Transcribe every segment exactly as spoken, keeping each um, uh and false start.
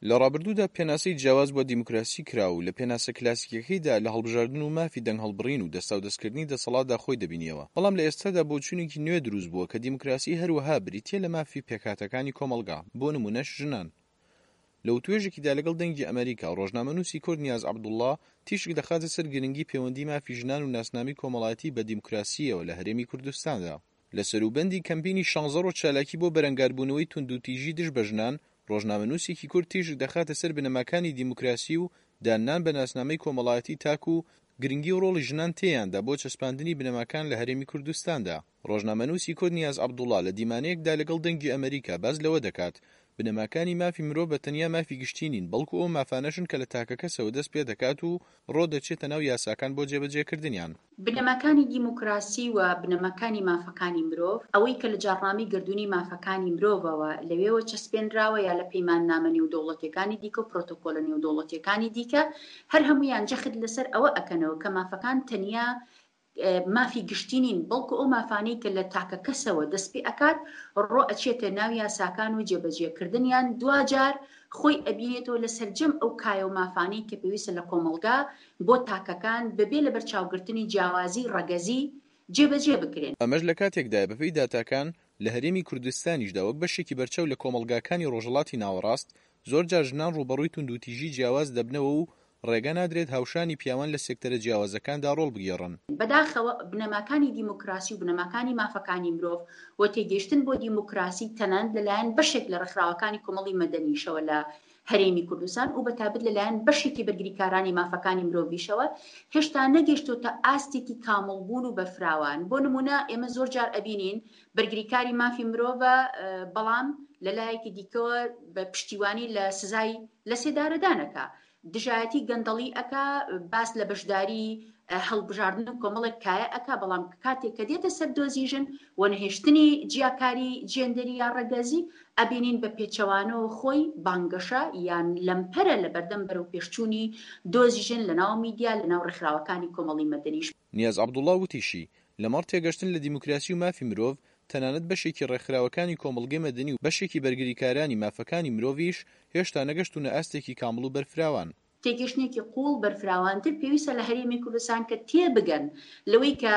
لە ڕابردوودا پێناسەی جیاواز بۆ دیموکراسی کرا و لە پێناسە کلاسیکیەکەیدا لە هەڵبژاردن و مافی دەنگهەڵبڕین و دەستاودەستکردنی دەسەڵاتدا خۆی دەبینیەوە بەڵام لە ئێستادا بۆچوونێکی نوێ دروست بووە کە دیموکراسی هەروەها بریتیە لە مافی پێکهاتەکانی کۆمەڵگا بۆ نمونەش ژنان. لە وتوێژێکیدا لەگەڵ دەنگی ئەمەریکا، ڕۆژنامەنووسی کورد نیاز عەبدوڵڵا تیشک دەخاتە سەر گرنگی پەیوەندی مافی ژنان و ناسنامەی کۆمەڵایەتی بە دیموکراسییەوە لە هەرێمی کوردستاندا. لە سەروبەندی کەمپینی شانزە ڕۆژ چالاکی بۆ بەرەنگاربوونەوەی توندوتیژی دژ بە ژنان، ڕۆژنامەنووسێکی کورد تیشک دەخاتە سەر بنەماکانی دیموکراسی و داننان بە ناسنامەی کۆمەڵایەتی تاک و گرنگی و ڕۆڵی ژنان تێیاندا بۆ چەسپاندنی بنەماکان لە هەرێمی کوردستاندا. ڕۆژنامەنووسی کورد نیاز عەبدوڵا لە دیمانەیەکدا لەگەڵ دەنگی ئەمەریکا باس لەوە دەکات بنەماکانی مافی مرۆڤ بە تەنیا مافی گشتی نین بەڵکو ئەو مافانەشن کە لە تاکەکەسەوە دەست پێدەکات و ڕۆدەچێتە ناو یاساکان بۆ جێبەجێکردنیان. بنەماکانی دیموکراسی و بنەماکانی مافەکانی مرۆڤ، ئەوەی کە لە جاڕنامەی گەردوونی مافەکانی مرۆڤەوە لەوێوە چەسپێنراوە یا لە پەیماننامە نێودەوڵەتیەکانی دیکە و پرۆتۆکۆلە نێودەوڵەتیەکانی دیکە، هەر هەموویان جەخت لەسەر ئەوە ئەکەنەوە کە مافەکان تەنیا مافی گشتی نین، بەڵکو ئەو مافانەی کە لە تاکە کەسەوە دەست پێ ئەکات ڕۆ ئەچێتە ناو یاساکان و جێبەجێکردنیان، دواجار خۆی ئەبینێتەوە لە سەرجەم ئەو کایە و مافانەی کە پێویستە لە کۆمەڵگا بۆ تاکەکان بەبێ لەبەرچاوگرتنی جیاوازی ڕەگەزی جێبەجێ بکرێن. ئەمەش لە کاتێکدایە بەپێی داتاکان لە هەرێمی کوردستانیشدا وەک بەشێکی بەرچاو لە کۆمەڵگاکانی ڕۆژهەڵاتی ناوەڕاست زۆرجار ژنان ڕووبەڕووی توندوتیژی جیاواز دەبنەوە و ڕێگە نادرێت هاوشانی پیاوان لە سێکتەرە جیاوازەکاندا ڕۆڵ بگێڕن. بەداخەوە بنەماکانی دیموکراسی و بنەماکانی مافەکانی مرۆڤ و تێگەیشتن بۆ دیموکراسی تەنانەت لەلایەن بەشێک لە ڕێکخراوەکانی کۆمەڵی مەدەنیشەوە لە هەرێمی کوردستان و بەتایبەت لەلایەن بەشێکی بەرگریکارانی مافەکانی مرۆڤیشەوە هێشتا نەگەیشتۆتە ئاستێکی کامڵبوون و بەرفراوان. بۆ نمونە ئێمە زۆر جار ئەبینین بەرگریکاری مافی مرۆڤە بەڵام لەلایەکی دیکەوە بە پشتیوانی لە سزای لەسێدارەدانەکە دژایەتی گەندەڵی ئەکا، باس لە بەشداری هەڵبژاردن و کۆمەڵێک کایە ئەکا، بەڵام کاتێک کە دێتە سەر دۆزی ژن و نەهێشتنی جیاکاری جێندەری یا ڕەگەزی، ئەبینین بە پێچەوانەوە خۆی بانگەشە یان لەمپەرە لە بەردەم بەرەوپێشچوونی دۆزی ژن لەناو میدیا، لەناو ڕێکخراوەکانی کۆمەڵی مەدەنیش. نیاز عەبدوڵا وتیشی، لەمەڕ تێگەشتن لە دیموکراسی و مافی مرۆڤ، تەنانەت بەشێکی ڕێکخراوەکانی کۆمەڵگەی مەدەنی و بەشێکی بەرگریکارانی مافەکانی مرۆڤیش هێشتا نەگەشتوونە ئاستێکی کامڵ و بەرفراوان. تێگەشتنێکی قووڵ بەرفراوانتر پێویستە لە هەرێمی کوردستان کە تێبگەن لەوەی کە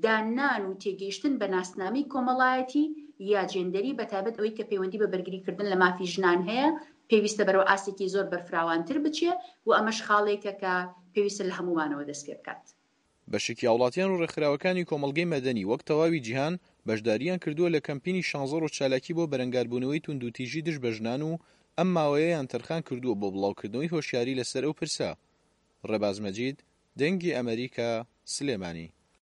دانان و تێگەیشتن بە ناسنامەی کۆمەڵایەتی یا جێندەری، بەتایبەت ئەوەی کە پەیوەندی بە بەرگریکردن لە مافی ژنان هەیە، پێویستە بەرەو ئاستێکی زۆر بەرفراوانتر بچێ و ئەمەش خاڵێکە کە پێویستە لە هەموومانەوە دەست پێ بکات. بەشێکی هاوڵاتیان و ڕێکخراوەکانی کۆمەڵگەی مەدەنی وەک تەواوی جیهان بەشدارییان کردووە لە کەمپینی شانزە ڕۆژ چالاکی بۆ بەرەنگاربوونەوەی توندوتیژی دژ بە ژنان و ئەم ماوەیەیان تەرخان کردووە بۆ بڵاوکردنەوەی هۆشیاری لەسەر ئەو پرسە. ڕێباز مەجید، دەنگی ئەمەریکا، سلێمانی.